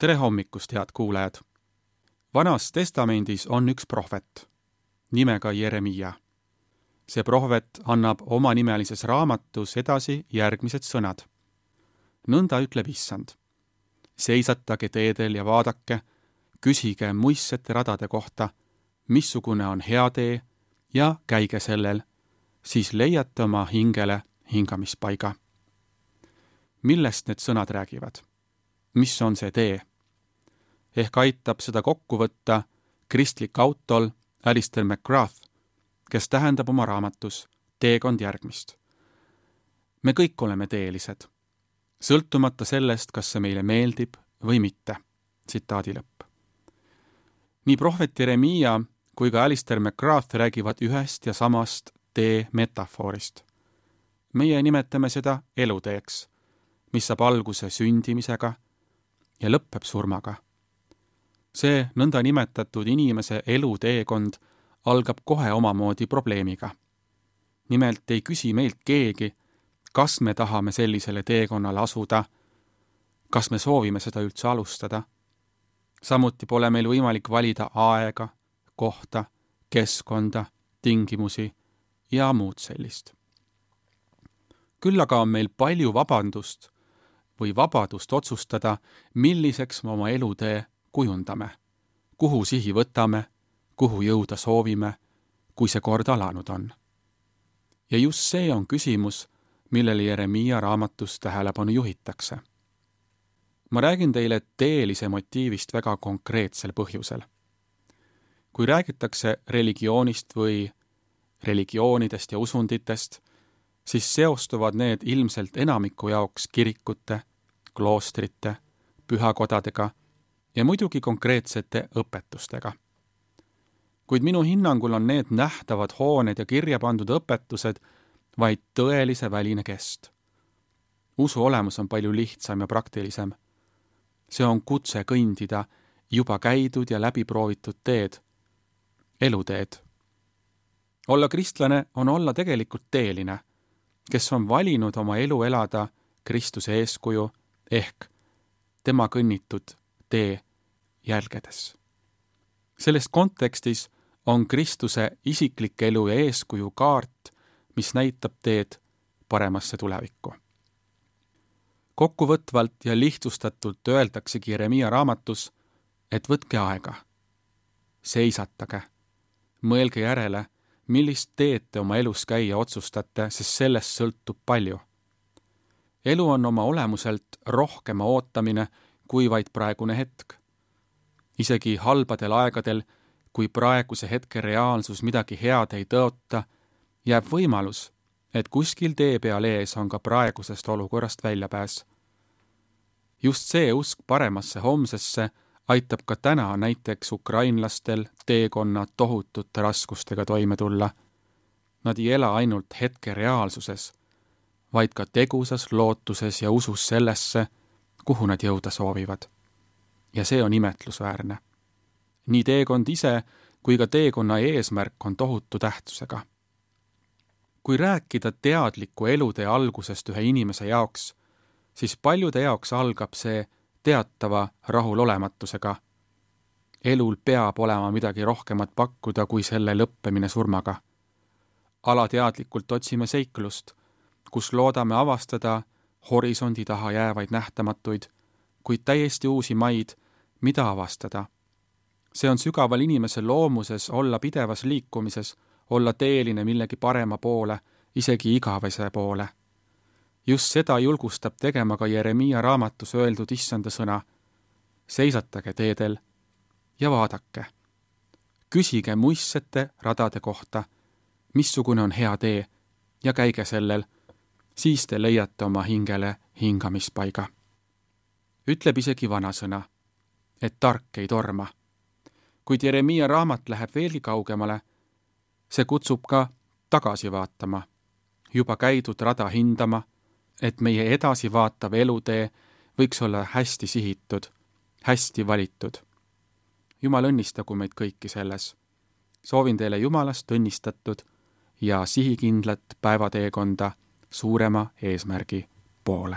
Tere hommikust, head kuulajad! Vanas testamendis on üks prohvet, nimega Jeremia. See prohvet annab omanimelises raamatus edasi järgmised sõnad. Nõnda ütleb Issand. Seisatage teedel ja vaadake, küsige muistsete radade kohta, missugune on hea tee ja käige sellel, siis leiate oma hingele hingamispaiga. Millest need sõnad räägivad? Mis on see tee? Ehk aitab seda kokku võtta kristlik autol Alistair McGrath, kes tähendab oma raamatus teekond järgmist. Me kõik oleme teelised, sõltumata sellest, kas see meile meeldib või mitte. Tsitaadi lõpp. Nii prohvet Jeremia kui ka Alistair McGrath räägivad ühest ja samast tee metafoorist. Meie nimetame seda eluteeks, mis saab alguse sündimisega ja lõpeb surmaga. See nõnda nimetatud inimese eluteekond algab kohe omamoodi probleemiga. Nimelt ei küsi meilt keegi, kas me tahame sellisele teekonnale asuda, kas me soovime seda üldse alustada. Samuti pole meil võimalik valida aega, kohta, keskkonda, tingimusi ja muud sellist. Küll aga on meil palju vabadust otsustada, milliseks me oma elutee kujundame, kuhu sihi võtame, kuhu jõuda soovime, kui see kord alanud on. Ja just see on küsimus, millele Jeremia raamatus tähelepanu juhitakse. Ma räägin teile teelise motiivist väga konkreetsel põhjusel. Kui räägitakse religioonist või religioonidest ja usunditest, siis seostuvad need ilmselt enamiku jaoks kirikute, kloostrite, pühakodadega ja muidugi konkreetsete õpetustega. Kuid minu hinnangul on need nähtavad hooned ja kirja pandud õpetused vaid tõelise väline kest. Usu olemus on palju lihtsam ja praktilisem. See on kutse kõndida juba käidud ja läbiproovitud teed, eluteed. Olla kristlane on olla tegelikult teeline, kes on valinud oma elu elada Kristuse eeskuju ehk tema kõnnitud tee jälgedes. Selles kontekstis on Kristuse isiklik elu ja eeskuju kaart, mis näitab teed paremasse tulevikku. Kokkuvõtvalt ja lihtsustatult öeldaksegi Jeremia raamatus, et võtke aega, seisatage, mõelge järele, millist teed te oma elus käia otsustate, sest sellest sõltub palju. Elu on oma olemuselt rohkema ootamine kui vaid praegune hetk. Isegi halbadel aegadel, kui praeguse hetke reaalsus midagi head ei tõota, jääb võimalus, et kuskil tee peal ees on ka praegusest olukorrast väljapääs. Just see usk paremasse homsesse aitab ka täna näiteks ukrainlastel teekonna tohutute raskustega toime tulla. Nad ei ela ainult hetke reaalsuses, vaid ka tegusas lootuses ja usus sellesse, kuhu nad jõuda soovivad. Ja see on imetlusväärne. Nii teekond ise kui ka teekonna eesmärk on tohutu tähtsusega. Kui rääkida teadliku elutee algusest ühe inimese jaoks, siis paljude jaoks algab see teatava rahulolematusega. Elul peab olema midagi rohkemat pakkuda kui selle lõppemine surmaga. Alateadlikult otsime seiklust, kus loodame avastada horisondi taha jäävaid nähtamatuid, kuid täiesti uusi maid, mida avastada. See on sügaval inimese loomuses olla pidevas liikumises, olla teeline millegi parema poole, isegi igavese poole. Just seda julgustab tegema ka Jeremia raamatus öeldud Issanda sõna. Seisatage teedel ja vaadake. Küsige muistsete radade kohta, missugune on hea tee ja käige sellel, siis te leiate oma hingele hingamispaiga. Ütleb isegi vanasõna, et tark ei torma. Kuid Jeremia raamat läheb veelgi kaugemale, see kutsub ka tagasi vaatama, juba käidud rada hindama, et meie edasi vaatav elutee võiks olla hästi sihitud, hästi valitud. Jumal õnnistagu meid kõiki selles. Soovin teile Jumalast õnnistatud ja sihikindlat päevateekonda suurema eesmärgi poole.